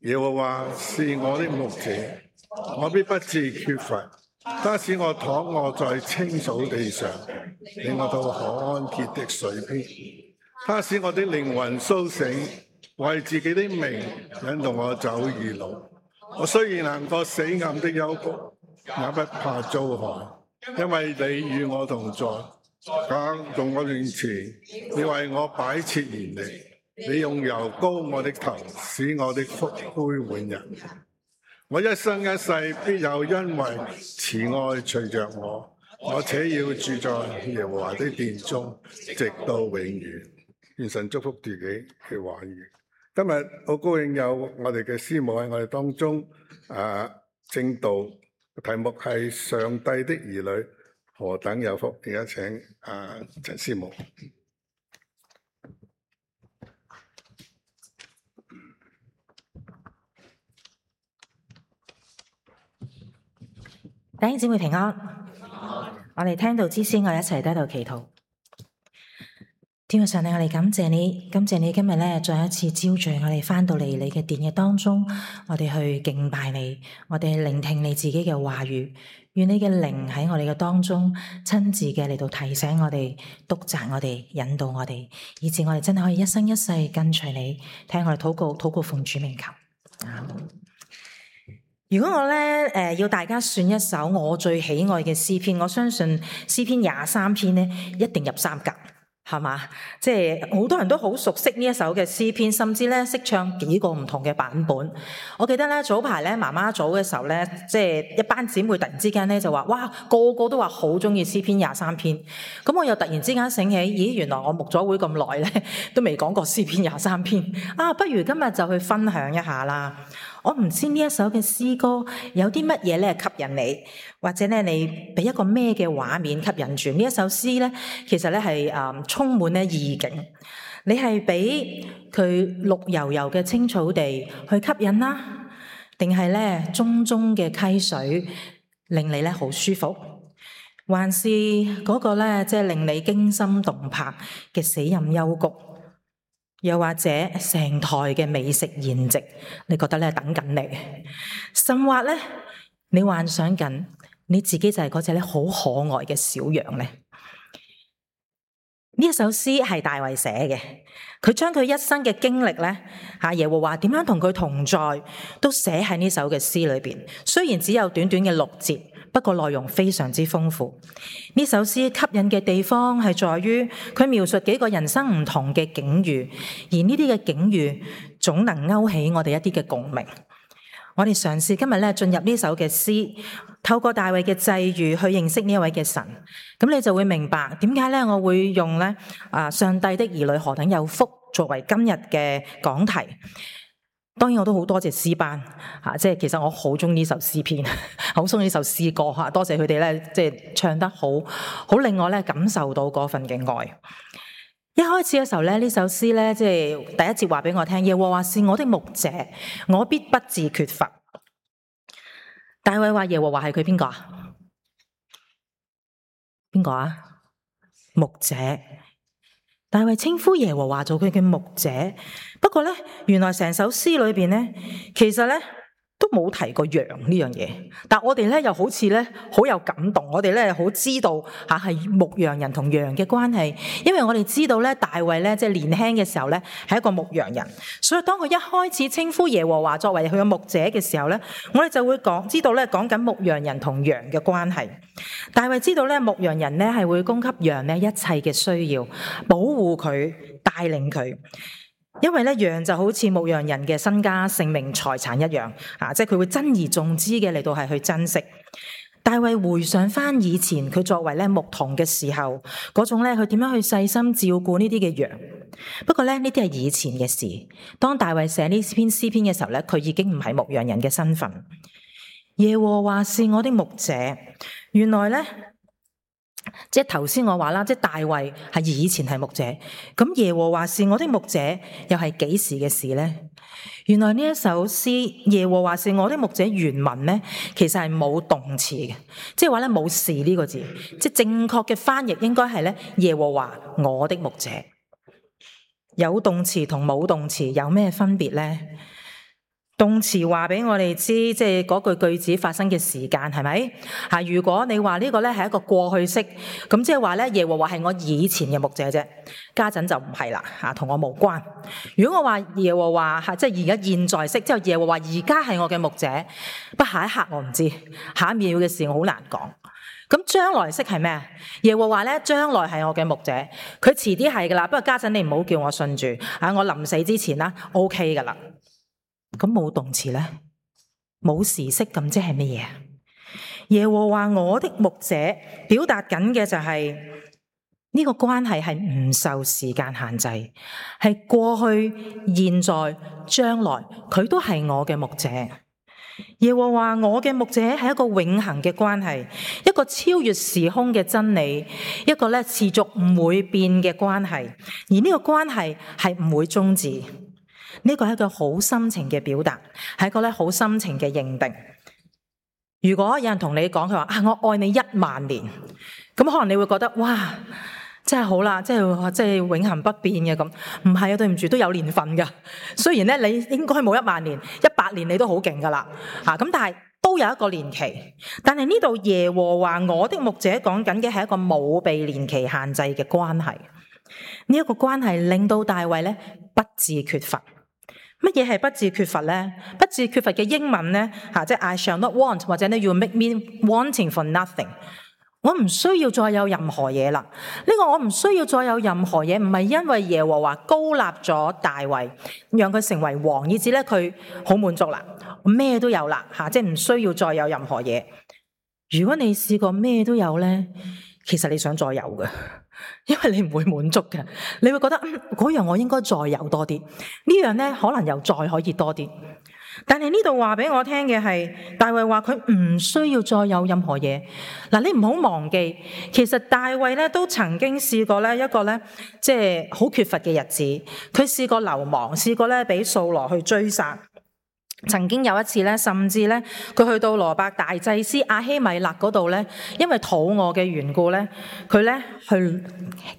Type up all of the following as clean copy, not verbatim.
耶和華是我的牧者，我必不致缺乏。他使我躺臥在青草地上，領我到可安歇的水邊。他使我的靈魂甦醒，為自己的名引導我走義路。我雖然行過死暗的幽谷，也不怕遭害，因為你與我同在。到我面前，你為我擺設筵席，你用油膏我的頭，使我的福杯滿溢。我一生一世必有恩惠慈愛隨着我，我且要住在耶和華的殿中，直到永遠。願神祝福自己嘅話語。今日好高興有我哋嘅師母喺我哋當中，正道題目係上帝的兒女何等有福。而家請陳師母。弟兄姊妹平安，我哋聽道之先，我哋一齊喺度祈禱。天父上帝，我哋感謝你，感謝你今日咧再一次招聚我哋翻到嚟你嘅殿嘅當中，我哋去敬拜你，我哋聆聽你自己嘅話語。願你嘅靈喺我哋嘅當中親自嘅嚟到提醒我哋、督責我哋、引導我哋，以致我哋真係可以一生一世跟隨你。聽我哋禱告奉主名求。如果我咧要大家選一首我最喜愛嘅詩篇，我相信詩篇23篇咧一定入3甲，係嘛？即係好多人都好熟悉呢一首嘅詩篇，甚至咧識唱幾個唔同嘅版本。我記得咧早排咧媽媽組嘅時候咧，即係一班姊妹突然之間咧就話：哇，個個都話好中意詩篇23篇。咁我又突然之間醒起，咦，原來我牧咗會咁耐咧，都未講過詩篇23篇。不如今日就去分享一下啦。我唔知呢一首嘅詩歌有啲乜嘢咧吸引你，或者咧你俾一個咩嘅畫面吸引住呢一首詩咧？其實咧係充滿咧意境，你係俾佢綠油油嘅青草地去吸引啦，定係咧淙淙嘅溪水令你咧好舒服，還是嗰個咧即係令你驚心動魄嘅死蔭幽谷？又或者成台嘅美食筵席，你覺得咧等緊你，甚或咧你幻想緊你自己就係嗰隻咧好可愛嘅小羊咧？呢一首詩係大衛寫嘅，佢將佢一生嘅經歷咧，耶和華點樣同佢同在，都寫喺呢首嘅詩裏邊。雖然只有短短嘅6節，不過內容非常之豐富。呢首詩吸引嘅地方係在於佢描述幾個人生唔同嘅境遇，而呢啲嘅境遇總能勾起我哋一啲嘅共鳴。我哋嘗試今日咧進入呢首嘅詩，透過大衛嘅際遇去認識呢一位嘅神，咁你就會明白點解咧我會用咧上帝的兒女何等有福作為今日嘅講題。當然我都好多謝詩班即係其實我好中意呢首詩篇，好中意呢首詩歌多謝佢哋咧，即係唱得好令我咧感受到嗰份嘅愛。一開始嘅時候咧，呢首詩咧即係第一節話俾我聽，耶和華是我的牧者，我必不致缺乏。大衛話耶和華係佢邊個啊？邊個啊？牧者。大衛稱呼耶和華做佢嘅牧者，不過咧，原來成首詩裏邊咧，其實咧都冇提過羊呢樣嘢。但我哋咧又好似咧好有感動，我哋咧好知道係牧羊人同羊嘅關係，因為我哋知道咧大衛咧即係年輕嘅時候咧係一個牧羊人，所以當佢一開始稱呼耶和華作為佢嘅牧者嘅時候咧，我哋就會知道咧講緊牧羊人同羊嘅關係。大衛知道咧牧羊人咧係會供給羊咧一切嘅需要，保護佢，帶領佢。因為咧羊就好似牧羊人嘅身家性命財產一樣即係佢會珍而重之嘅嚟到係去珍惜。大衛回想翻以前佢作為咧牧童嘅時候，嗰種咧佢點樣去細心照顧呢啲嘅羊。不過咧呢啲係以前嘅事，當大衛寫呢篇詩篇嘅時候咧，佢已經唔係牧羊人嘅身份。耶和華是我的牧者，原來咧即係頭先我話啦，即係大衛係以前係牧者，咁耶和華是我的牧者又係幾時嘅事呢？原來呢一首詩耶和華是我的牧者原文咧，其實係冇動詞嘅，即係話咧冇是呢個字，即係正確嘅翻譯應該係咧耶和華我的牧者。有動詞同冇動詞有咩分別呢？動詞話俾我哋知，即係嗰句子發生嘅時間係咪？如果你話呢個咧係一個過去式，咁即係話咧耶和華係我以前嘅牧者啫，家陣就唔係啦，同我無關。如果我話耶和華即係而家現在式，即係耶和華而家係我嘅牧者，不下一刻我唔知，下一秒嘅事我好難講。咁將來式係咩？耶和華咧將來係我嘅牧者，佢遲啲係噶啦，不過家陣你唔好叫我信住，我臨死之前啦 OK 噶啦。咁冇動詞咧，冇時式，咁即係乜嘢？耶和華我的牧者表達緊嘅就係呢個關係係唔受時間限制，係過去、現在、將來，佢都係我嘅牧者。耶和華我嘅牧者係一個永恆嘅關係，一個超越時空嘅真理，一個咧持續唔會變嘅關係，而呢個關係係唔會終止。呢個係一個好深情嘅表達，係一個咧好深情嘅認定。如果有人同你講佢話我愛你10000年，咁可能你會覺得哇，真係好啦，即係永恆不變嘅咁。唔係啊，對唔住，都有年份噶。雖然咧你應該冇10000年，100年你都好勁噶啦。咁但係都有一個年期。但係呢度耶和華我的牧者講緊嘅係一個冇被年期限制嘅關係。呢一個關係令到大衛咧不致缺乏。乜嘢係不致缺乏呢？不致缺乏嘅英文呢，即係 I shall not want， 或者呢 You make me wanting for nothing。我唔需要再有任何嘢啦。呢個我唔需要再有任何嘢，唔係因為耶和華高立咗大衛，讓佢成為王，以至咧佢好滿足啦，咩都有啦，即係唔需要再有任何嘢。如果你試過咩都有呢，其實你想再有嘅。因為你唔會滿足嘅，你會覺得嗰樣我應該再有多啲，呢樣呢可能又再可以多啲。但係呢度話俾我聽嘅係，大衛話佢唔需要再有任何嘢。嗱，你唔好忘記，其實大衛咧都曾經試過咧一個咧即係好缺乏嘅日子，佢試過流亡，試過咧俾掃羅去追殺。曾經有一次咧，甚至咧佢去到羅伯大祭司亞希米勒嗰度咧，因為肚餓嘅緣故咧，佢咧去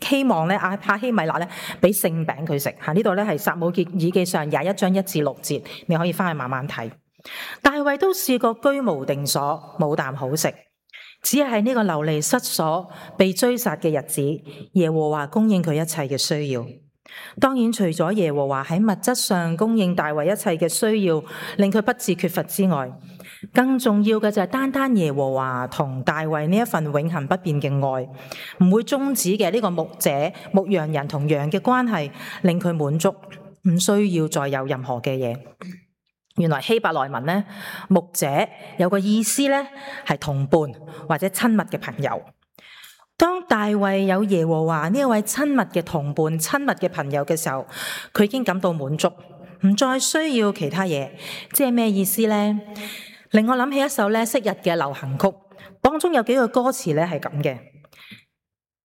希望咧亞希米勒咧俾聖餅佢食。呢度咧係撒母耳記上21章1至6節，你可以翻去慢慢睇。大衛都試過居無定所，冇啖好食，只係喺呢個流離失所、被追殺嘅日子，耶和華供應佢一切嘅需要。當然除咗耶和華喺物質上供應大衛一切嘅需要，令佢不致缺乏之外，更重要嘅就係單單耶和華同大衛呢一份永恆不變嘅愛，唔會終止嘅呢個牧者、牧羊人同羊嘅關係，令佢滿足，唔需要再有任何嘅嘢。原來希伯來文呢，牧者有個意思呢，係同伴或者親密嘅朋友。當大衛有耶和華呢一位親密嘅同伴、親密嘅朋友嘅時候，佢已經感到滿足，唔再需要其他嘢。即係咩意思呢？令我諗起一首咧昔日嘅流行曲，當中有幾個歌詞咧係咁嘅：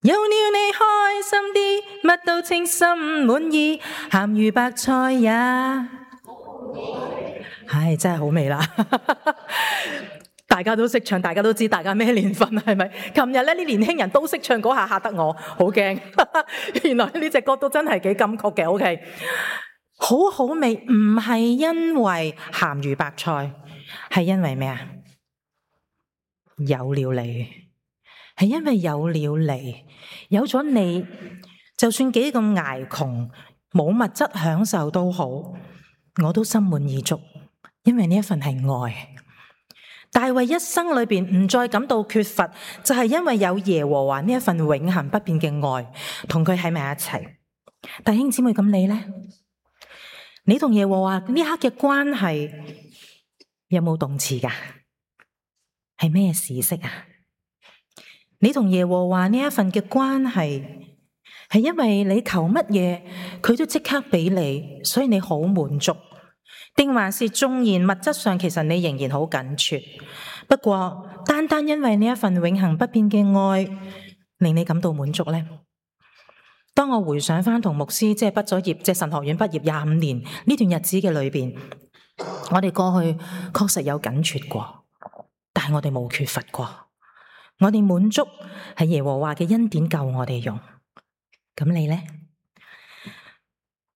有了你開心啲，乜都稱心滿意，鹹魚白菜也，唉，真係好味啦！大家都識唱，大家都知大家咩年份係咪？琴日咧啲年輕人都識唱嗰下，嚇得我好驚。原來呢隻歌都真係幾金曲嘅。OK， 好好味，唔係因為鹹魚白菜，係因為咩啊？有了你，係因為有了你，有咗你，就算幾咁捱窮，冇物質享受都好，我都心滿意足，因為呢一份係愛。大衛一生裏邊唔再感到缺乏，就係因為有耶和華呢一份永恆不變嘅愛，同佢喺埋一齊。弟兄姊妹，咁你呢？你同耶和華呢刻嘅關係有冇動詞噶？係咩時式啊？你同耶和華呢一份嘅關係，係因為你求乜嘢，佢都即刻俾你，所以你好滿足。定還是縱然物質上其實你仍然好緊缺，不過單單因為呢一份永恆不變嘅愛令你感到滿足呢？當我回想翻同牧師即係畢咗業，即係神學院畢業25年呢段日子嘅裏邊，我哋過去確實有緊缺過，但係我哋冇缺乏過，我哋滿足係耶和華嘅恩典夠我哋用。咁你呢？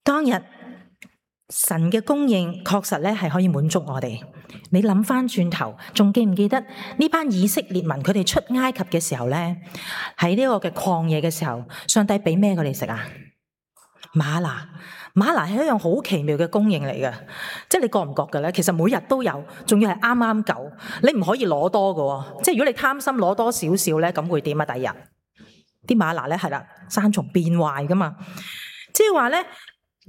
當日神嘅供應確實咧係可以滿足我哋。你諗翻轉頭，仲記唔記得呢班以色列民佢哋出埃及嘅時候咧，喺呢個嘅曠野嘅時候，上帝俾咩佢哋食啊？嗎哪。嗎哪係一樣好奇妙嘅供應嚟嘅，即係你覺唔覺嘅咧？其實每日都有，仲要係啱啱夠，你唔可以攞多嘅。即係如果你貪心攞多少少咧，咁會點啊？第二日啲嗎哪咧係啦，生蟲變壞噶嘛，即係話咧。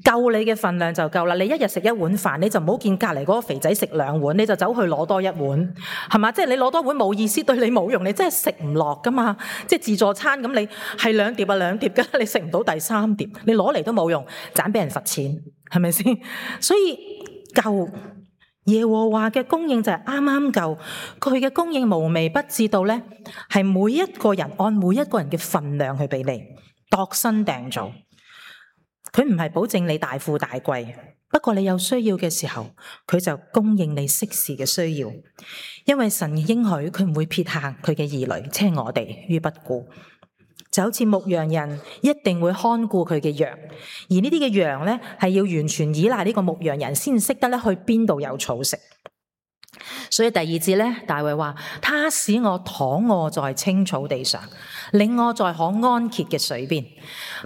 夠你嘅份量就夠啦，你一日食一碗飯，你就唔好見隔籬嗰個肥仔食2碗，你就走去攞多1碗，係嘛？即係你攞多碗冇意思，對你冇用，你真係食唔落噶嘛。即係自助餐咁，你係2碟啊2碟噶，你食唔到第3碟，你攞嚟都冇用，盞俾人罰錢，係咪先？所以夠耶和華嘅供應就係啱啱夠，佢嘅供應無微不至到咧，係每一個人按每一個人嘅份量去俾你度身訂造。佢唔係保證你大富大貴，不過你有需要嘅時候，佢就供應你適時嘅需要。因為神應許佢唔會撇下佢嘅兒女，即係我哋於不顧。就好似牧羊人一定會看顧佢嘅羊，而呢啲嘅羊咧係要完全依賴呢個牧羊人先識得咧去邊度有草食。所以第2節咧，大衛話：他使我躺臥在青草地上，領我在可安歇嘅水邊。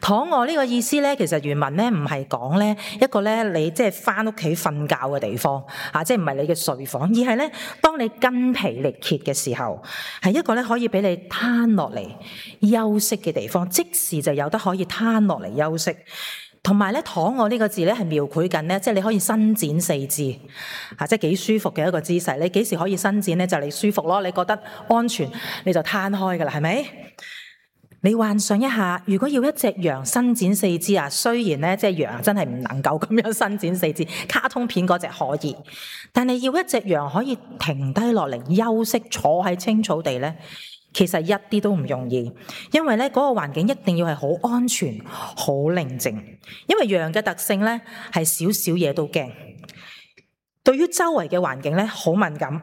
躺臥呢個意思咧，其實原文咧唔係講咧一個咧你即係翻屋企瞓覺嘅地方啊，即係唔係你嘅睡房，而係咧當你筋疲力竭嘅時候，係一個咧可以俾你攤落嚟休息嘅地方，即時就有得可以攤落嚟休息。同埋咧，躺臥呢個字咧係描繪緊咧，即係你可以伸展四肢，即係幾舒服嘅一個姿勢。你幾時可以伸展咧？就你舒服咯，你覺得安全，你就攤開噶啦，係咪？你幻想一下，如果要一隻羊伸展四肢啊，雖然咧即係羊真係唔能夠咁樣伸展四肢，卡通片嗰隻可以，但係要一隻羊可以停低落嚟休息，坐喺青草地咧。其實一啲都唔容易，因為咧嗰個環境一定要係好安全、好寧靜。因為羊嘅特性咧係少少嘢都驚，對於周圍嘅環境咧好敏感，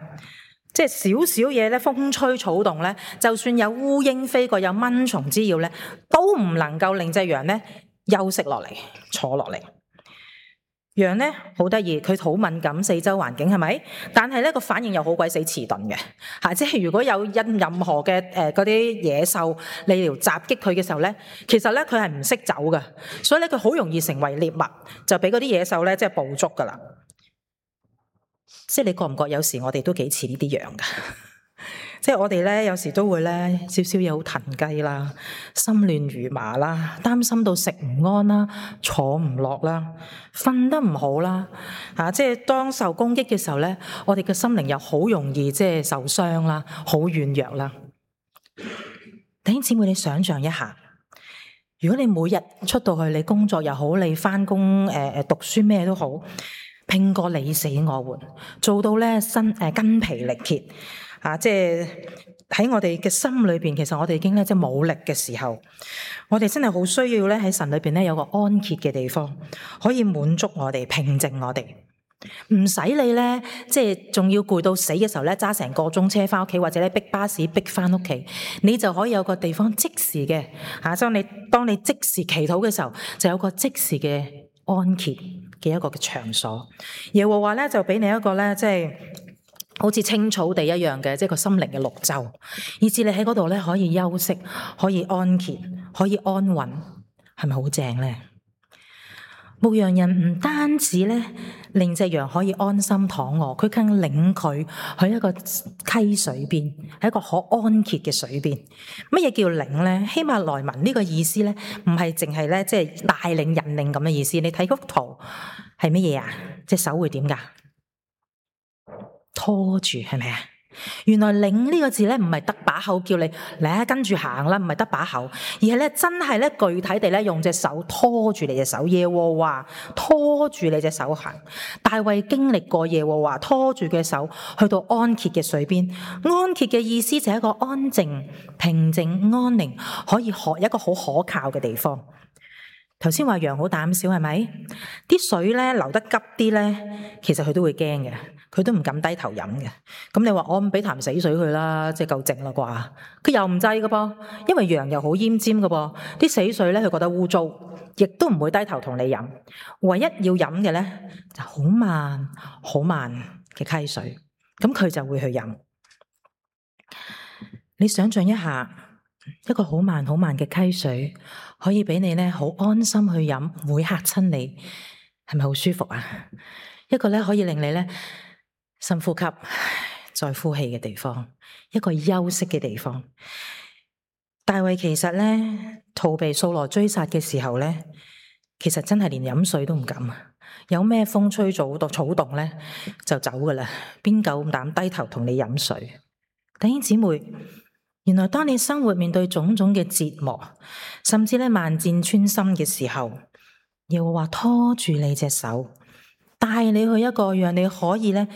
即係少少嘢咧風吹草動咧，就算有烏蠅飛過、有蚊蟲滋擾咧，都唔能夠令隻羊咧休息落嚟、坐落嚟。羊咧好得意，佢好敏感四周環境係咪？但係咧個反應又好鬼死遲鈍嘅嚇，即係如果有任何嘅嗰啲野獸嚟襲擊佢嘅時候咧，其實咧佢係唔識走嘅，所以咧佢好容易成為獵物，就俾嗰啲野獸咧即係捕捉噶啦。即係你覺唔覺有時我哋都幾似呢啲羊噶？即係我哋咧有時都會咧少少嘢好騰雞啦，心亂如麻啦，擔心到食唔安啦，坐唔落啦，瞓得唔好啦，即係當受攻擊嘅時候咧，我哋嘅心靈又好容易即係受傷啦，好軟弱啦。弟兄姊妹，你想象一下，如果你每日出到去，你工作又好，你返工讀書咩都好，拼過你死我活，做到咧筋疲力竭。即係喺我哋嘅心裏邊，其實我哋已經咧即係冇力嘅時候，我哋真係好需要咧喺神裏邊咧有個安歇嘅地方，可以滿足我哋、平靜我哋，唔使你咧即係仲要攰到死嘅時候咧揸成個鐘車翻屋企，或者咧逼巴士逼翻屋企，你就可以有個地方即時嘅當你即時祈禱嘅時候，就有個即時嘅安歇嘅一個嘅場所。耶和華咧就俾你一個咧即係好似青草地一樣嘅，即係個心靈嘅綠洲，以至你喺嗰度咧可以休息，可以安歇，可以安穩，係咪好正咧？牧羊人唔單止咧令隻羊可以安心躺臥，佢更領佢去一個溪水邊，喺一個可安歇嘅水邊。乜嘢叫領咧？希伯來文呢個意思咧，唔係淨係咧即係帶領引領咁嘅意思。你睇幅圖係乜嘢啊？隻手會點噶？拖住係咪啊？原來領呢個字咧唔係得把口叫你嚟跟住行啦，唔係得把口，而係咧真係咧具體地咧用隻手拖住你隻手。耶和華拖住你隻手行。大衛經歷過耶和華拖住嘅手去到安歇嘅水邊。安歇嘅意思就係一個安靜、平靜、安寧，可以一個好可靠嘅地方。頭先話羊好膽小係咪？啲水咧流得急啲咧，其實佢都會驚嘅，佢都唔敢低頭飲嘅。咁你話我唔俾潭死水佢啦，即係夠靜啦啩？佢又唔制㗎噃，因為羊又好奄尖㗎噃，啲死水咧佢覺得污糟，亦都唔會低頭同你飲。唯一要飲嘅咧就好慢好慢嘅溪水，咁佢就會去飲。你想象一下，一個好慢好慢嘅溪水，可以俾你咧好安心去飲，唔會嚇親你，係咪好舒服啊？一個咧可以令你咧深呼吸再呼氣嘅地方，一個休息嘅地方。大衛其實咧逃避掃羅追殺嘅時候咧，其實真係連飲水都唔敢啊！有咩風吹草動咧就走噶啦，邊夠膽低頭同你飲水？弟兄姊妹，原來當你生活面對種種嘅折磨，甚至咧萬箭穿心嘅時候，耶和華拖住你隻手，帶你去一個讓你可以咧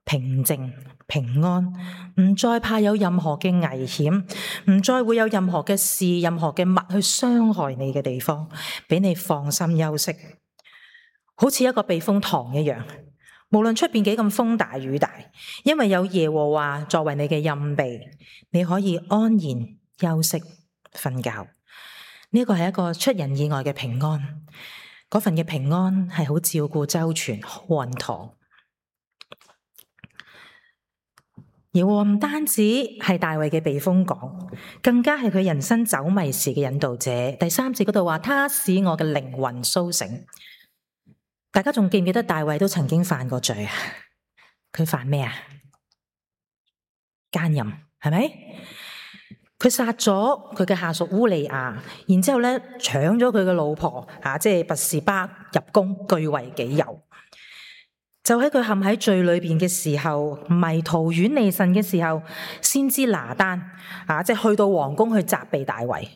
平靜平安，唔再怕有任何嘅危險，唔再會有任何嘅事、任何嘅物去傷害你嘅地方，俾你放心休息，好似一個避風塘一樣。無論出邊幾咁風大雨大，因為有耶和華作為你嘅蔭庇，你可以安然休息瞓覺。呢個係一個出人意外嘅平安，嗰份嘅平安係好照顧周全、好穩妥。耶和華唔單止係大衛嘅避風港，更加係佢人生走迷時嘅引導者。第3節嗰度話，他使我嘅靈魂蘇醒。大家仲記唔記得大衛都曾經犯過罪啊？佢犯咩啊？奸淫，係咪？佢殺咗佢嘅下屬烏利亞，然之後咧搶咗佢嘅老婆即係拔示巴入宮，據為己有。就喺佢陷喺罪裏邊嘅時候，迷途遠離神嘅時候，先知拿單即係去到皇宮去責備大衛。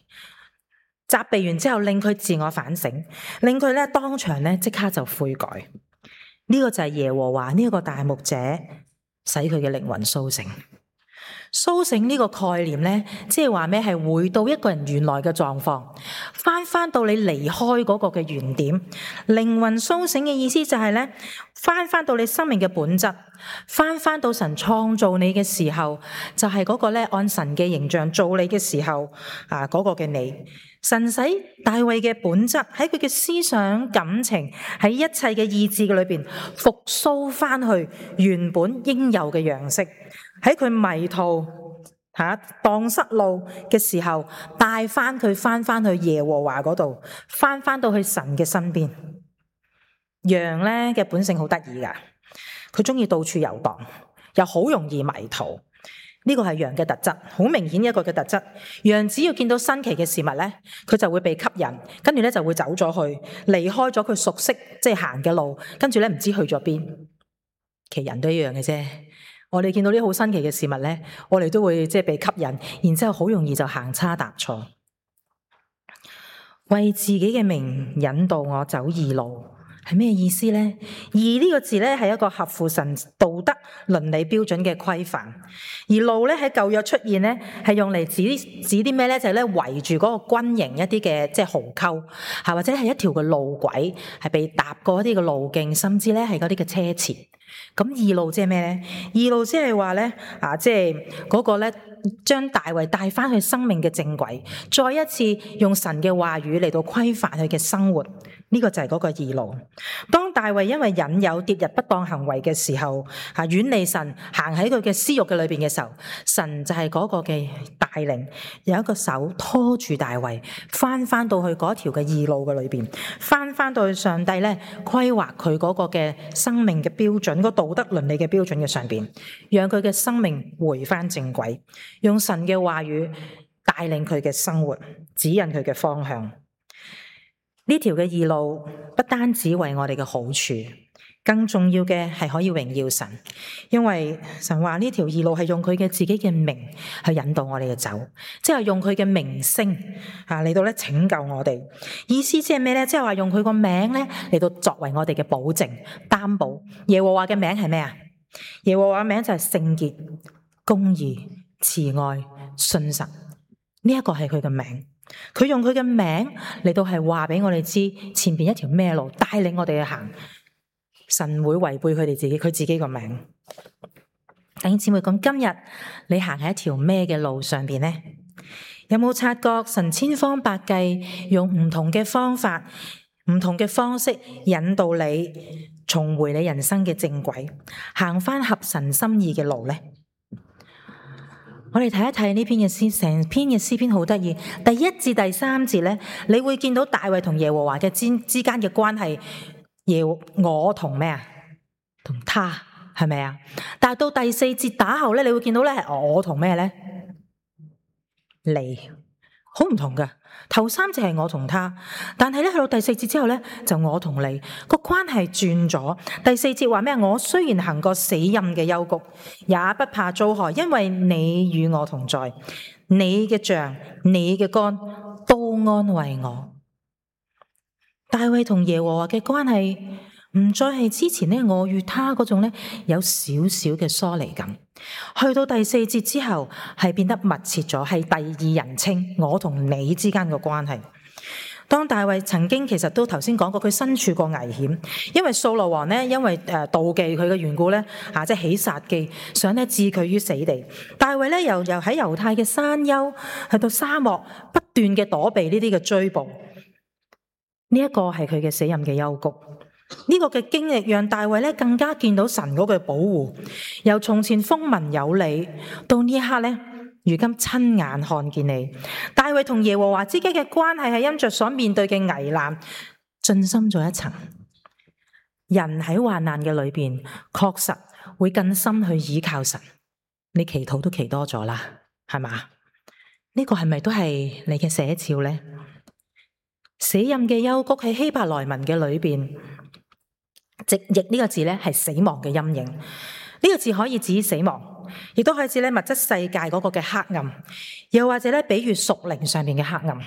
責備完之後，令佢自我反省，令佢咧當場咧即刻就悔改。呢個就係耶和華呢個大牧者使佢嘅靈魂蘇醒。蘇醒呢個概念咧，即係話咩？係回到一個人原來嘅狀況，翻到你離開嗰個嘅原點。靈魂蘇醒嘅意思就係咧，翻到你生命嘅本質，翻到神創造你嘅時候，就係嗰個咧按神嘅形象做你嘅時候嗰個嘅你。神使大衛嘅本質喺佢嘅思想感情，喺一切嘅意志嘅裏邊復甦翻去原本應有嘅樣式。喺佢迷途蕩失路嘅時候，帶翻佢翻去耶和華嗰度，翻到去神嘅身邊。羊咧嘅本性好得意噶，佢中意到處遊蕩，又好容易迷途。呢個係羊嘅特質，好明顯一個嘅特質。羊只要見到新奇嘅事物咧，佢就會被吸引，跟住咧就會走咗去，離開咗佢熟悉即係行嘅路，跟住咧唔知去咗邊。其實人都一樣嘅啫。我哋見到啲好新奇嘅事物咧，我哋都會即係被吸引，然之後好容易就行差踏錯。為自己嘅名引導我走義路，係咩意思呢？義呢個字咧係一個合乎神道德倫理標準嘅規範，而路咧喺舊約出現咧係用嚟指啲咩咧？就係咧圍住嗰個軍營一啲嘅即係壕溝，或者係一條嘅路軌，係被踏過一啲嘅路徑，甚至咧係嗰啲嘅車前。咁義路即係咩咧？義路即係話咧即係嗰個咧將大衛帶翻去生命嘅正軌，再一次用神嘅話語嚟到規範佢嘅生活。呢個就係嗰個義路。當大衛因為引誘跌入不當行為嘅時候，遠離神，行喺佢嘅私欲嘅裏邊嘅時候，神就係嗰個嘅帶領，有一個手拖住大衛，翻到去嗰條嘅義路嘅裏邊，翻到去上帝咧規劃佢嗰個嘅生命嘅標準，個道德倫理嘅標準嘅上邊，讓佢嘅生命回翻正軌，用神嘅話語帶領佢嘅生活，指引佢嘅方向。呢條嘅義路不單止為我哋嘅好處，更重要嘅係可以榮耀神，因為神話呢條義路係用佢嘅自己嘅名去引導我哋嘅走，即係用佢嘅名聲嚟到咧拯救我哋。意思即係咩咧？即係話用佢個名咧嚟到作為我哋嘅保證擔保。耶和華嘅名係咩啊？耶和華嘅名就係聖潔、公義、慈愛、信實。呢一個係佢嘅名。佢用佢嘅名嚟到係話俾我哋知前邊一條咩路，帶領我哋去行。神會違背佢自己個名。弟兄姊妹，咁今日你行喺一條咩嘅路上邊呢？有冇察覺神千方百計用唔同嘅方法、唔同嘅方式引導你重回你人生嘅正軌，行返合神心意嘅路呢？我哋睇一睇呢篇嘅詩，成篇嘅詩篇好得意。第1至第3節呢，你會見到大衛同耶和華嘅之間嘅關係。我同咩啊？同他，係咪啊？但係到第4節打後咧，你會見到咧係我同咩咧？你，好唔同㗎。頭3節係我同他，但係咧去到第4節之後咧，就我同你個關係轉咗。第4節話咩？我雖然行過死蔭嘅幽谷，也不怕遭害，因為你與我同在，你嘅杖、你嘅竿都安慰我。大衛同耶和華嘅關係唔再係之前咧我與他嗰種咧有少少嘅疏離感，去到第4節之後係變得密切咗，係第二人稱我同你之間嘅關係。當大衛曾經其實都頭先講過，佢身處過危險，因為掃羅王咧因為妒忌佢嘅緣故咧即係起殺機，想咧置佢於死地。大衛咧又喺猶太嘅山丘去到沙漠，不斷嘅躲避呢啲嘅追捕。呢一個係佢嘅死蔭嘅幽谷，呢個嘅經歷讓大衛咧更加見到神嗰個保護，由從前風聞有你，到呢一刻咧，如今親眼看見你。大衛同耶和華之間嘅關係係因着所面對嘅危難進深咗一層。人喺患難嘅裏邊，確實會更深去倚靠神。你祈禱都祈多咗啦，係嘛？呢個係咪都係你嘅寫照呢？死蔭嘅幽谷喺希伯來文嘅裏邊，直譯呢個字咧係死亡嘅陰影。呢個字可以指死亡，亦都可以指咧物質世界嗰個嘅黑暗，又或者咧比喻屬靈上面嘅黑暗。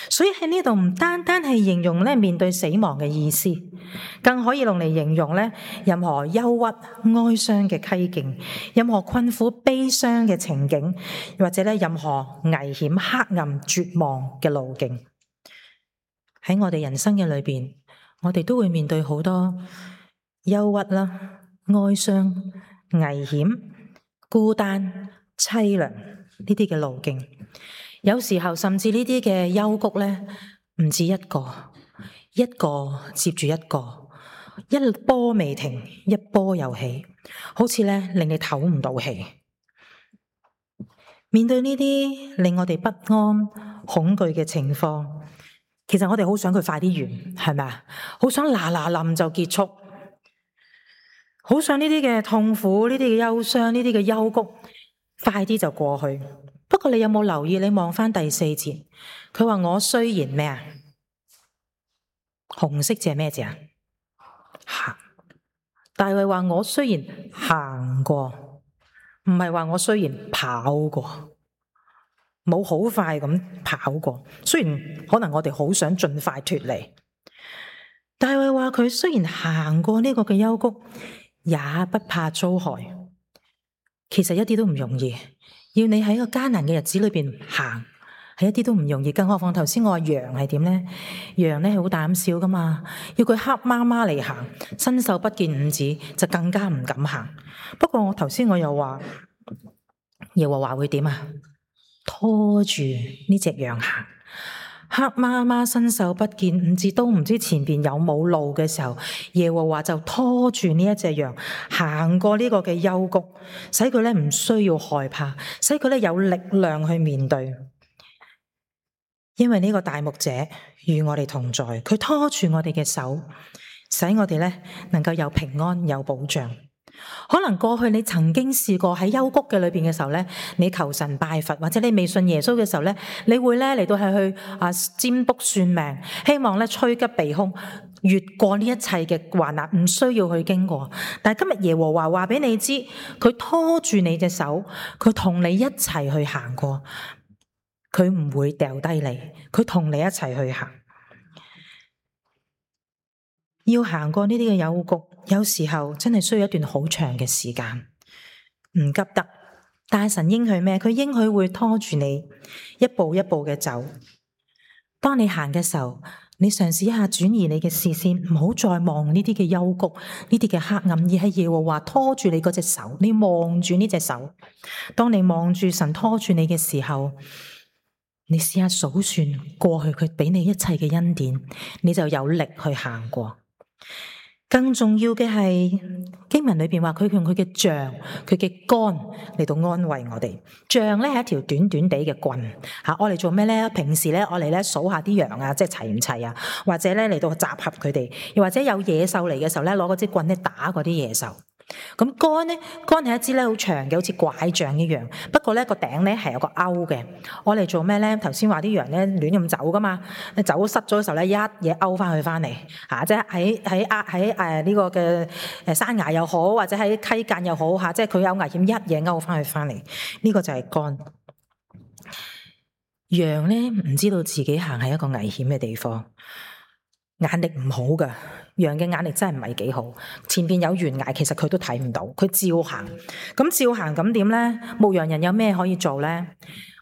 所以喺呢度唔單單係形容咧面對死亡嘅意思，更可以用嚟形容咧任何憂鬱、哀傷嘅溪徑，任何困苦、悲傷嘅情景，或者咧任何危險、黑暗、絕望嘅路徑。喺我哋人生嘅裏邊，我哋都會面對好多憂鬱啦、哀傷、危險、孤單、淒涼呢啲嘅路徑。有時候甚至呢啲嘅幽谷咧，唔止一個，一個接住一個，一波未停，一波又起，好似咧令你唞唔到氣。面對呢啲令我哋不安、恐懼嘅情況，其實我哋好想佢快啲完，係咪啊？好想嗱嗱冧就結束，好想呢啲嘅痛苦、呢啲嘅憂傷、呢啲嘅幽谷快啲就過去。不過你有冇留意？你望翻第4節，佢話我雖然咩啊？紅色字係咩字啊？行。大衛話我雖然行過，唔係話我雖然跑過。冇好快咁跑過，雖然可能我哋好想盡快脫離。大衛話佢雖然行過呢個嘅幽谷，也不怕遭害。其實一啲都唔容易，要你喺個艱難嘅日子裏邊行，係一啲都唔容易。更何況頭先我話羊係點呢？羊咧係好膽小噶嘛，要佢黑麻麻嚟行，伸手不見五指，就更加唔敢行。不過我頭先我又話耶和華會點啊？拖住呢隻羊行，黑麻麻伸手不見五指，都唔知前邊有冇路嘅時候，耶和華就拖住呢一隻羊行過呢個嘅幽谷，使佢咧唔需要害怕，使佢咧有力量去面對。因為呢個大牧者與我哋同在，佢拖住我哋嘅手，使我哋咧能夠有平安有保障。可能過去你曾經試過喺幽谷嘅裏邊嘅時候咧，你求神拜佛，或者你未信耶穌嘅時候咧，你會咧嚟到係去占卜算命，希望咧趨吉避凶，越過呢一切嘅患難，唔需要去經過。但係今日耶和華話俾你知，佢拖住你隻手，佢同你一齊去行過，佢唔會掉低你，佢同你一齊去行。要行過呢啲嘅幽谷，有時候真係需要一段好長嘅時間，唔急得。但係神應許咩？佢應許會拖住你一步一步嘅走，當你行嘅時候，你嘗試一下轉移你嘅視線，唔好再望呢啲嘅幽谷、呢啲嘅黑暗，而係耶和華拖住你嗰隻手，你望住呢隻手。當你望住神拖住你嘅時候，你試下數算過去佢俾你一切嘅恩典，你就有力去行過。更重要嘅係經文裏邊話佢用佢嘅杖、佢嘅竿嚟到安慰我哋。杖咧係一條短短地嘅棍，我嚟做咩咧？平時咧我嚟咧數下啲羊啊，即係齊唔齊啊？或者咧嚟到集合佢哋，又或者有野獸嚟嘅時候咧，攞嗰支棍咧打嗰啲野獸。咁竿咧，竿係一支咧好長嘅，好似拐杖一樣。不過咧個頂咧係有個勾嘅。我嚟做咩咧？頭先話啲羊咧亂咁走噶嘛，走失咗嘅時候咧，一嘢勾翻佢翻嚟，即係喺呢個嘅山崖又好，或者喺溪澗又好，即係佢有危險，一嘢勾翻佢翻嚟。呢個就係竿。羊咧唔知道自己行喺一個危險嘅地方，眼力唔好噶。羊嘅眼力真係唔係幾好，前邊有懸崖，其實佢都睇唔到，佢照行。咁照行咁點咧？牧羊人有咩可以做咧？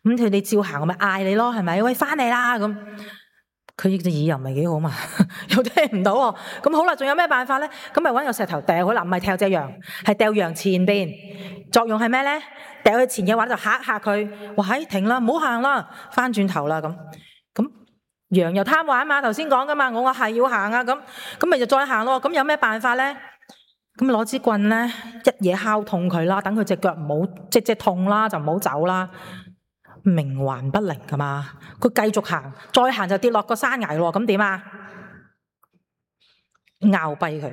咁佢哋照行，我咪嗌你咯，係咪？喂，翻嚟啦！咁佢隻耳又唔係幾好嘛，又聽唔到喎。咁好啦，仲有咩辦法咧？咁咪搵個石頭掟佢啦，唔係掟隻羊，係掟羊前邊。作用係咩咧？掟佢前嘅話就嚇嚇佢，話停啦，唔好行啦，翻轉頭啦咁。羊又貪玩嘛，頭先講噶嘛，我話係要行啊，咁咪就再行咯。咁有咩辦法咧？咁攞支棍咧，一嘢敲痛佢啦，等佢隻腳唔好即痛啦，就唔好走啦。冥頑不靈噶嘛，佢繼續行，再行就跌落個山崖咯。咁點啊？拗跛佢，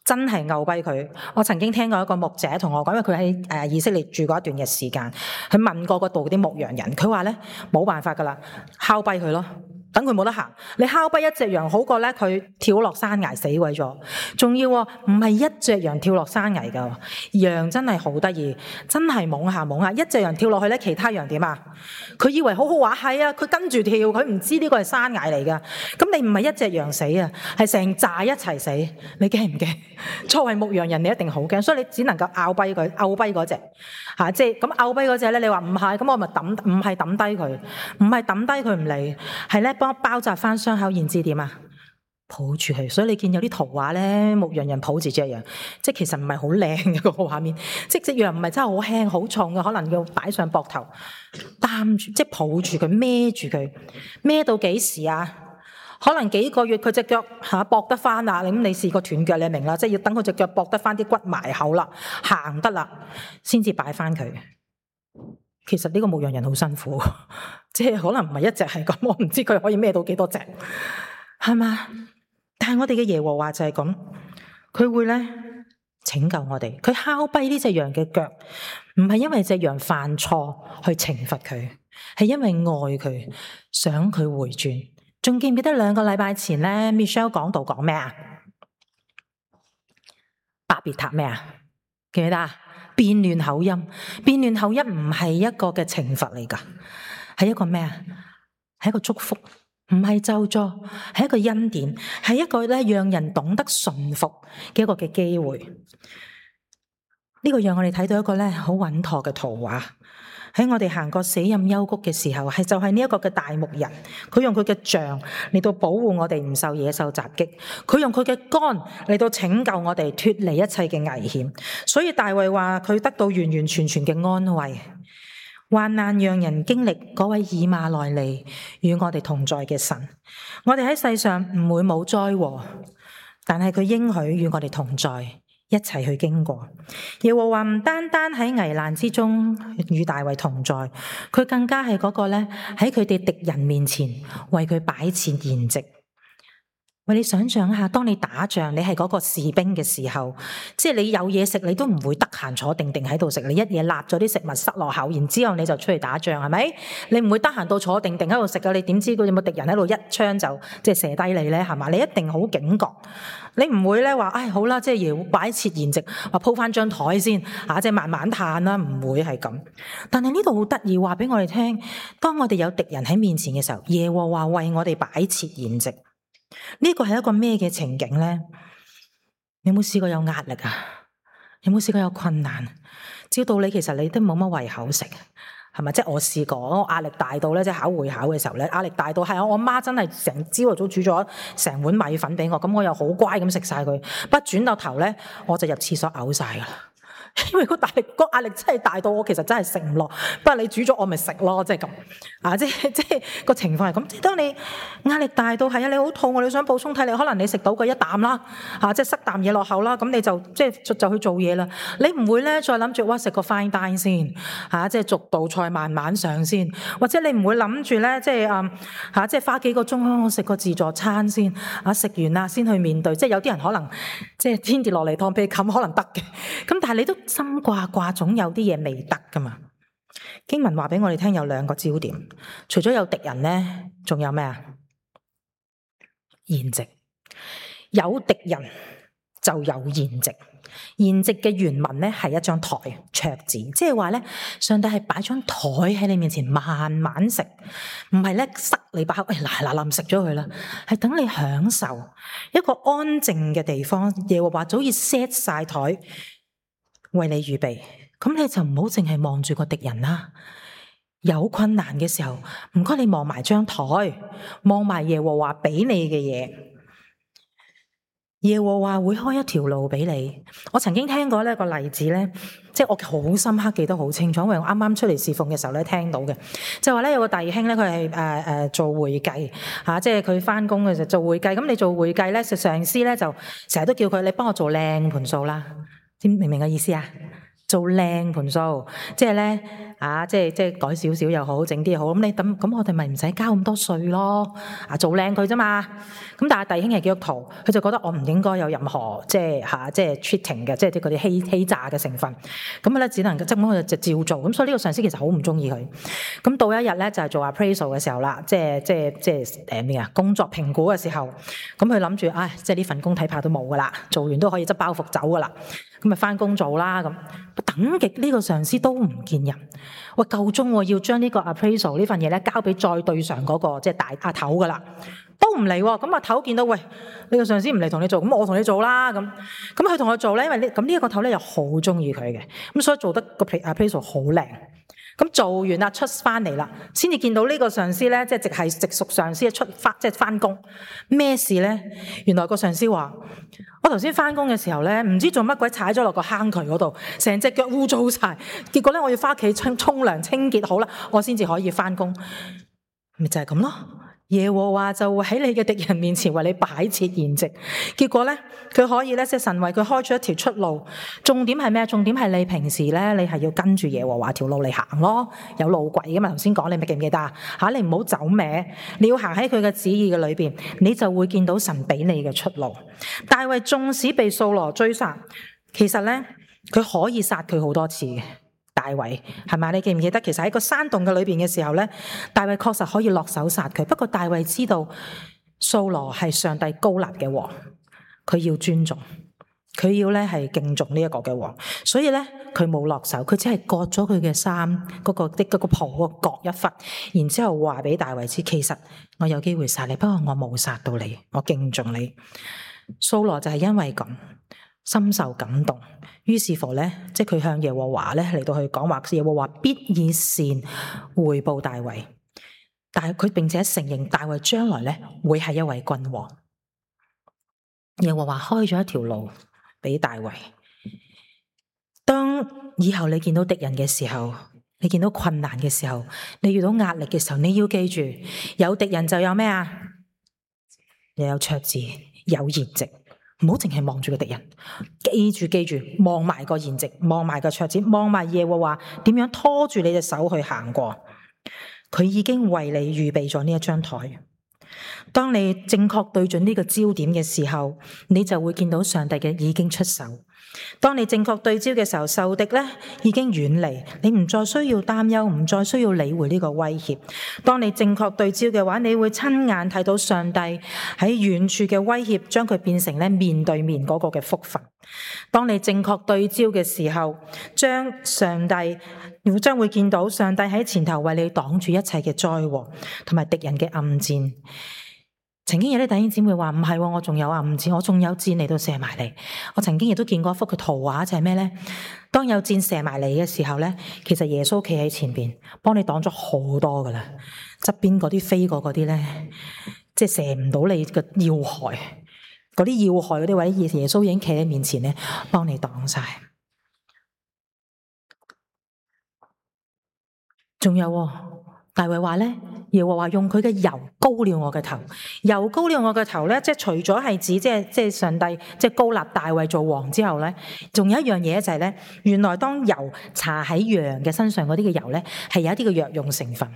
真係拗跛佢。我曾經聽過一個牧者同我講，因為佢喺以色列住過一段嘅時間，佢問過嗰度啲牧羊人，佢話咧冇辦法噶啦，敲跛佢咯。等佢冇得行，你敲跛一隻羊好過咧佢跳落山崖死鬼咗。仲要唔係一隻羊跳落山崖噶，羊真係好得意，真係懵下懵下。一隻羊跳落去咧，其他羊點啊？佢以為好好話係啊，佢跟住跳，佢唔知呢個係山崖嚟噶。咁你唔係一隻羊死啊，係成紮一齊死，你驚唔驚？作為牧羊人，你一定好驚，所以你只能夠拗跛佢，拗跛嗰隻即係咁拗跛嗰隻咧。你話唔係，咁我咪唔係抌低佢，唔係抌低佢唔理，係咧。幫包紮翻傷口，然之點啊？抱住佢，所以你見有啲圖畫咧，牧羊人抱住隻羊，即係其實唔係好靚嘅個畫面，即係隻羊唔係真係好輕好重嘅，可能要擺上膊頭擔住，即係抱住佢孭住佢，孭到幾時啊？可能幾個月佢隻腳駁得翻啦，咁你試過斷腳你明啦，即係要等佢隻腳駁得翻啲骨埋口啦，行得啦，先至擺翻佢。其實呢個牧羊人好辛苦，即係可能唔係一隻係咁，我唔知佢可以孭到幾多隻，係嘛？但係我哋嘅耶和華就係咁，佢會咧拯救我哋。佢敲跛呢隻羊嘅腳，唔係因為隻羊犯錯去懲罰佢，係因為愛佢，想佢回轉。仲記唔記得2個禮拜前咧 Michelle 講道講咩啊？巴別塔咩啊？記唔記得啊？變亂口音，變亂口音唔係一個嘅懲罰嚟噶，係一個咩啊？係一個祝福，唔係咒詛，係一個恩典，係一個咧讓人懂得順服嘅一個嘅機會。呢個讓我哋睇到一個咧好穩妥嘅圖畫。喺我哋行過死蔭幽谷嘅時候，就係呢一個嘅大牧人，佢用佢嘅杖嚟到保護我哋唔受野獸襲擊，佢用佢嘅竿嚟到拯救我哋脫離一切嘅危險。所以大衛話佢得到完完全全嘅安慰。患難讓人經歷嗰位以馬內利與我哋同在嘅神。我哋喺世上唔會冇災禍，但係佢應許與我哋同在，一齊去經過。耶和華唔單單喺危難之中與大衛同在，佢更加係嗰個咧喺佢哋敵人面前為佢擺設筵席。喂，你想象一下，當你打仗，你係嗰個士兵嘅時候，即係你有嘢食，你都唔會得閒坐定定喺度食，你一嘢立咗啲食物塞落口，然之後你就出去打仗，係咪？你唔會得閒到坐定定喺度食噶，你點知佢有冇敵人喺度一槍就即係射低你咧？係嘛？你一定好警覺，你唔會咧話，唉好啦，即係要擺設筵席，話鋪翻張台先，即係慢慢嘆啦，唔會係咁。但係呢度好得意，話俾我哋聽，當我哋有敵人喺面前嘅時候，耶和華為我哋擺設筵席。呢個係一個咩嘅情景呢？你有冇試過有壓力啊？有冇試過有困難？照道理其實你都冇乜胃口食，係咪？即係我試過，我壓力大到咧，即係考會考嘅時候咧，壓力大到係我媽真係成朝頭早煮咗成碗米粉俾我，咁我又好乖咁食晒佢，不轉到頭咧我就入廁所嘔晒㗎啦。因為個壓力真係大到我其實真係食唔落，不過你煮咗我咪食咯，即係咁啊！即係個情況係咁。即係當你壓力大到係啊，你好肚餓，你想補充體力，可能你食到個一啖啦，即係塞啖嘢落口啦，咁你就即係就去做嘢啦。你唔會咧再諗住哇食個 fine dine 先即係逐道菜慢慢上先，或者你唔會諗住咧即係即係花幾個鐘我食個自助餐先食完啦先去面對。即係有啲人可能即係天跌落嚟當被冚可能得嘅，咁但係你都心掛總有啲嘢未得噶嘛。經文話俾我哋聽有兩個焦點，除咗有敵人咧，仲有咩啊？筵席。有敵人就有筵席。筵席嘅原文咧係一張台桌子，即係話咧上帝係擺張台喺你面前慢慢食，唔係咧塞你把口，嗱食咗佢啦，係等你享受一個安靜嘅地方。耶和華早已 set 晒台為你預備，咁你就唔好淨係望住個敵人啦。有困難嘅時候，唔該你望埋張台，望埋耶和華俾你嘅嘢。耶和華會開一條路俾你。我曾經聽過呢個例子咧，即係我好深刻記得好清楚，因為我啱啱出嚟侍奉嘅時候咧聽到嘅，就話咧有個弟兄咧佢係做會計即係佢翻工嘅時候做會計。咁你做會計咧，上司咧就成日都叫佢你幫我做靚盤數啦，明唔明嘅意思啊？做靚盤數，即係咧即係改少少又好，整啲又好。咁我哋咪唔使交咁多稅咯。做靚佢啫嘛。咁但係弟兄係基督徒，佢就覺得我唔應該有任何即係 cheating 嘅，即係啲嗰啲欺詐嘅成分。咁咧只能即係佢就照做。咁所以呢個上司其實好唔中意佢。咁到一日咧就係做 appraisal 嘅時候啦，即係咩啊？工作評估嘅時候，咁佢諗住即係呢份工睇怕都冇噶啦，做完都可以執包袱走噶啦。咁咪翻工做啦咁。等極呢個上司都唔見人，喂夠鐘要將呢個 appraisal 呢份嘢咧交俾再對上嗰個即係大阿頭噶啦，都唔嚟喎。咁阿頭見到喂呢個上司唔嚟同你做，咁我同你做啦咁。咁佢同我做咧，因為呢一個頭咧又好中意佢嘅，咁所以做得個 appraisal 好靚。咁做完啦，出翻嚟啦，先至見到呢個上司咧，即係直屬上司即係翻工。咩事咧？原來個上司話：我頭先翻工嘅時候咧，唔知做乜鬼踩咗落個坑渠嗰度，成隻腳污糟晒。結果咧，我要翻屋企沖涼清潔好啦，我先至可以翻工。咪就係咁咯。耶和華就會喺你嘅敵人面前為你擺設筵席，結果咧佢可以咧即係神為佢開出一條出路。重點係咩？重點係你平時咧你係要跟住耶和華條路嚟行咯，有路軌噶嘛。頭先講你咪記唔記得啊？你唔好走歪，你要行喺佢嘅旨意嘅裏邊，你就會見到神俾你嘅出路。大衛縱使被掃羅追殺，其實咧佢可以殺佢好多次嘅。大衛係咪？你記唔記得？其實喺個山洞嘅裏邊嘅時候咧，大衛確實可以落手殺佢。不過大衛知道掃羅係上帝膏立嘅王，佢要尊重，佢要咧係敬重呢一個嘅王，所以咧佢冇落手，佢只係割咗佢嘅衫嗰個袍割一忽，然之後話俾大衛知，其實我有機會殺你，不過我冇殺到你，我敬重你。掃羅就係因為咁深受感動，於是乎咧，即係佢向耶和華咧嚟到去講話，耶和華必以善回報大衛。但係佢並且承認大衛將來咧會係一位君王。耶和華開咗一條路俾大衛。當以後你見到敵人嘅時候，你見到困難嘅時候，你遇到壓力嘅時候，你要記住，有敵人就有咩啊？又有桌子，有筵席。唔好淨係望住個敵人，記住，望埋個筵席，望埋個桌子，望埋耶和華點樣拖住你隻手去行過。佢已經為你預備咗呢一張台。當你正確對準呢個焦點嘅時候，你就會見到上帝嘅已經出手。當你正確對焦嘅時候，仇敵咧已經遠離，你唔再需要擔憂，唔再需要理會呢個威脅。當你正確對焦嘅話，你會親眼睇到上帝喺遠處嘅威脅，將佢變成咧面對面嗰個嘅福分。當你正確對焦嘅時候，將會見到上帝喺前頭為你擋住一切嘅災禍同埋敵人嘅暗箭。曾經有啲弟兄姊妹話唔係，我仲有啊，唔止我仲有箭嚟到射埋嚟。我曾經亦都見過一幅嘅圖畫，就係咩咧？當有箭射埋嚟嘅時候咧，其實耶穌企喺前邊，幫你擋咗好多噶啦。側邊嗰啲飛過嗰啲咧，即係射唔到你嘅要害，嗰啲要害嗰啲位，耶穌已經企喺面前咧，幫你擋晒。仲有大衛話咧，耶和華用佢嘅油膏了我嘅頭，油膏了我嘅頭咧，即係除咗係指即係上帝即係膏立大衛做王之後咧，仲有一樣嘢就係咧，原來當油搽喺羊嘅身上嗰啲嘅油咧，係有一啲嘅藥用成分。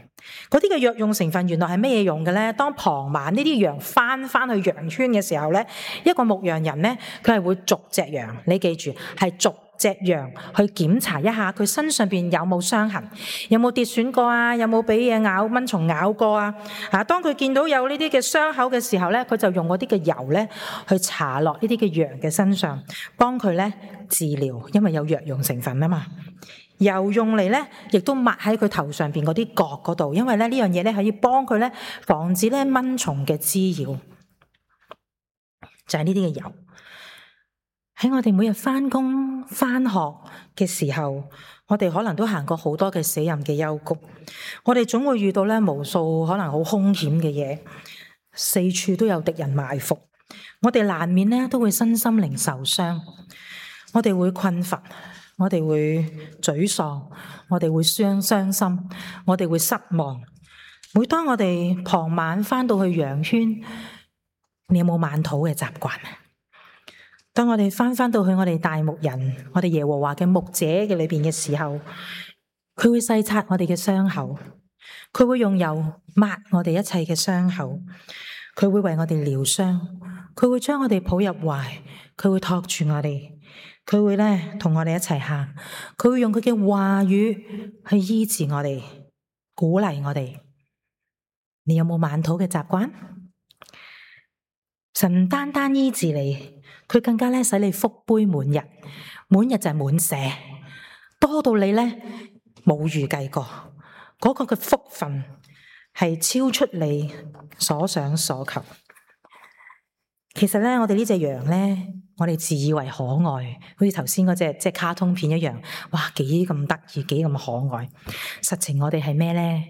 嗰啲嘅藥用成分原來係咩嘢用嘅咧？當傍晚呢啲羊翻去羊圈嘅時候咧，一個牧羊人咧，佢係會逐隻羊，你記住係逐隻羊去檢查一下佢身上邊有冇傷痕，有冇跌損過啊，有冇俾嘢咬蚊蟲咬過啊。當佢見到有呢啲嘅傷口嘅時候咧，佢就用嗰啲嘅油咧去搽落呢啲嘅羊嘅身上，幫佢咧治療，因為有藥用成分啊嘛。油用嚟咧，亦都抹喺佢頭上邊嗰啲角嗰度，因為咧呢樣嘢咧可以幫佢咧防止咧蚊蟲嘅滋擾，就係呢啲嘅油。喺我哋每日返工返學嘅時候，我哋可能都行過好多嘅死蔭嘅幽谷，我哋總會遇到咧無數可能好兇險嘅嘢，四處都有敵人埋伏，我哋難免咧都會身心靈受傷，我哋會困乏，我哋會沮喪，我哋會傷心，我哋會失望。每當我哋傍晚返到去羊圈，你有冇晚禱嘅習慣？當我哋翻到去我哋大牧人，我哋耶和華嘅牧者嘅裏邊嘅時候，佢會細察我哋嘅傷口，佢會用油抹我哋一切嘅傷口，佢會為我哋療傷，佢會將我哋抱入懷，佢會托住我哋，佢會咧同我哋一齊行，佢會用佢嘅話語去醫治我哋，鼓勵我哋。你有冇晚禱嘅習慣？神唔單單醫治你，佢更加咧使你福杯滿溢，滿溢就係滿瀉，多到你咧冇預計過，嗰個嘅福分係超出你所想所求。其實咧，我哋呢隻羊咧，我哋自以為可愛，好似頭先嗰隻即係卡通片一樣，哇，幾咁得意，幾咁可愛。實情我哋係咩咧？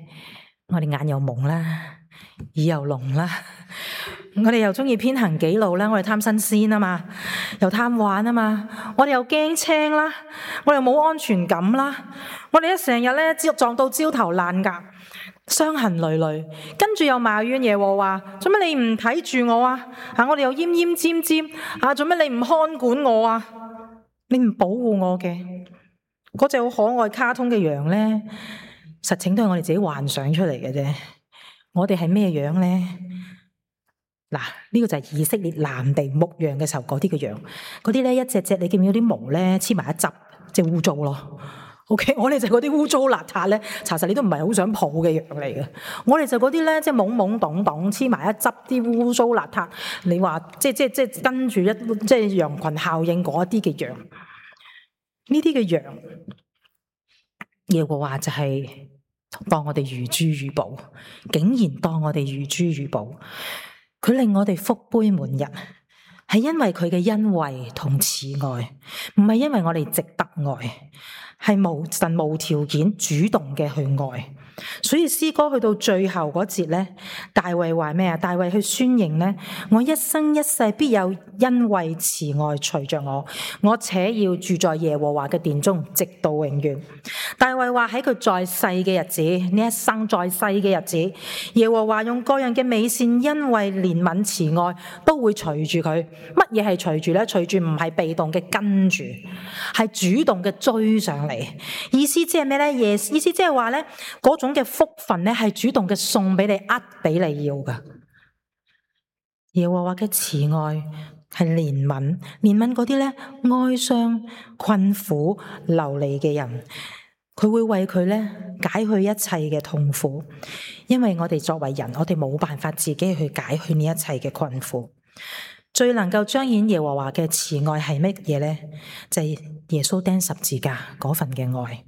我哋眼又蒙啦，耳又聾啦。我哋又中意偏行己路啦，我哋貪新鮮啊嘛，又貪玩啊嘛，我哋又驚青啦，我哋又冇安全感啦，我哋一成日咧撞到焦頭爛額，傷痕累累，跟住又埋怨耶和華，做乜你唔睇住我啊？我哋又奄奄尖尖，做乜你唔看管我啊？你唔保護我嘅嗰隻好可愛卡通嘅羊咧，實情都係我哋自己幻想出嚟嘅啫。我哋係咩樣咧？嗱，呢個就係以色列南地牧羊嘅時候嗰啲嘅羊，嗰啲咧一隻隻，你見唔見到啲毛咧黐埋一執，即係污糟咯。OK， 我哋就嗰啲污糟邋遢咧，查實你都唔係好想抱嘅羊嚟嘅。我哋就嗰啲咧，即係懵懵懂懂黐埋一執啲污糟邋遢，你話即係跟住即係羊群效應嗰啲嘅羊，呢啲嘅羊，耶和華就係當我哋如珠如寶，竟然當我哋如珠如寶。佢令我哋福杯滿溢，係因為佢嘅恩惠同慈愛，唔係因為我哋值得愛，係神無條件主動嘅去愛。所以詩歌去到最後嗰節咧，大衛話咩啊？大衛去宣認咧，我一生一世必有恩惠慈愛隨着我，我且要住在耶和華嘅殿中，直到永遠。大衛話喺佢在世嘅日子，呢一生在世嘅日子，耶和華用各樣嘅美善、恩惠、憐憫、慈愛都會隨住佢。乜嘢係隨住咧？隨住唔係被動嘅跟住，係主動嘅追上嚟。意思即係咩咧？意思即係話咧，嗰種嘅福分咧係主動嘅送俾你，俾你要噶。耶和華嘅慈愛係憐憫，憐憫嗰啲咧哀傷、困苦、流離嘅人。佢會為佢咧解去一切嘅痛苦，因為我哋作為人，我哋冇辦法自己去解去呢一切嘅困苦。最能夠彰顯耶和華嘅慈愛係乜嘢咧？就係耶穌釘十字架嗰份嘅愛。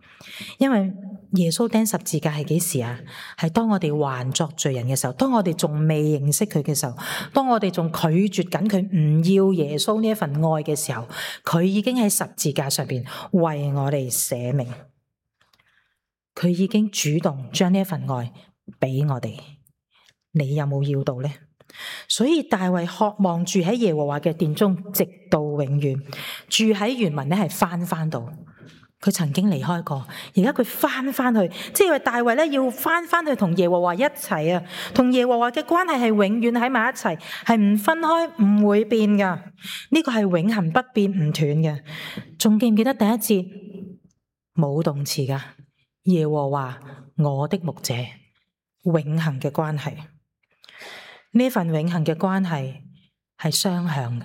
因為耶穌釘十字架係幾時啊？係當我哋還作罪人嘅時候，當我哋仲未認識佢嘅時候，當我哋仲拒絕緊佢唔要耶穌呢一份愛嘅時候，佢已經喺十字架上邊為我哋捨命，佢已經主動將呢一份愛俾我哋。你有冇要到呢？所以大衛渴望住喺耶和華嘅殿中，直到永遠。住喺原文咧係翻到。佢曾經離開過，而家佢翻去，即係大衛咧要翻去同耶和華一齊啊，同耶和華嘅關係係永遠喺埋一齊，係唔分開，唔會變噶。呢個係永恆不變唔斷嘅。仲記唔記得第一節冇動詞噶？耶和華我的牧者，永恆嘅關係。呢份永恆嘅關係係雙向嘅。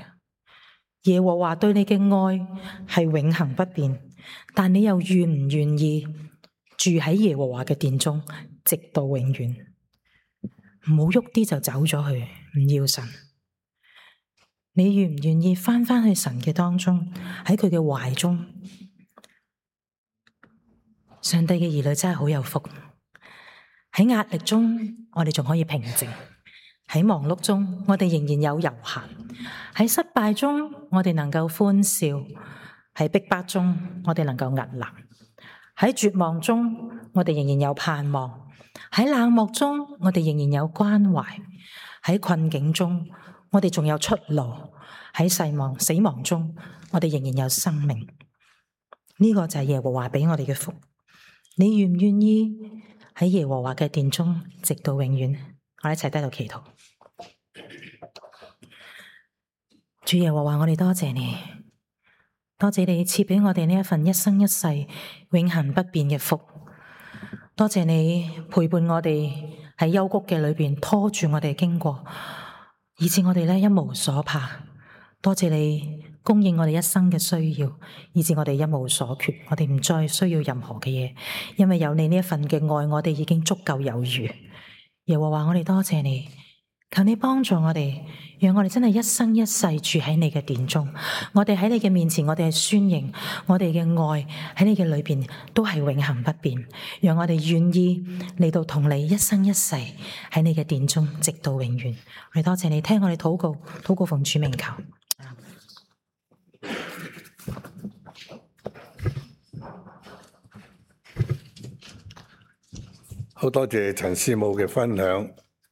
耶和華對你嘅愛係永恆不變。但你又願唔願意住喺耶和華嘅殿中，直到永遠？唔好喐啲就走咗去，唔要神。你願唔願意翻去神嘅當中，喺佢嘅懷中？上帝嘅兒女真係好有福。喺壓力中，我哋仲可以平靜；喺忙碌中，我哋仍然有悠閒；喺失敗中，我哋能夠歡笑。喺逼迫中，我哋能夠屹立；喺絕望中，我哋仍然有盼望；喺冷漠中，我哋仍然有關懷；喺困境中，我哋仲有出路；喺死亡中，我哋仍然有生命。呢個就係耶和華俾我哋嘅福。你願唔願意喺耶和華嘅殿中，直到永遠？我哋一齊低頭祈禱。主耶和華，我哋多謝你。多謝你賜俾我哋呢一份一生一世永恆不變嘅福，多謝你陪伴我哋喺幽谷嘅裏邊拖住我哋經過，以致我哋一無所怕。多謝你供應我哋一生嘅需要，以致我哋一無所缺，我哋唔再需要任何嘅嘢，因為有你呢一份嘅愛，我哋已經足夠有餘。耶和華，我哋多謝你。求你幫助我哋，讓我哋真係一生一世住喺你嘅殿中。我哋喺你嘅面前，我哋係宣認我哋嘅愛喺你嘅裏邊都係永恆不變。讓我哋願意嚟到同你一生一世喺你嘅殿中，直到永遠。我哋多謝你聽我哋禱告，禱告奉主名求。好多謝陳師母嘅分享。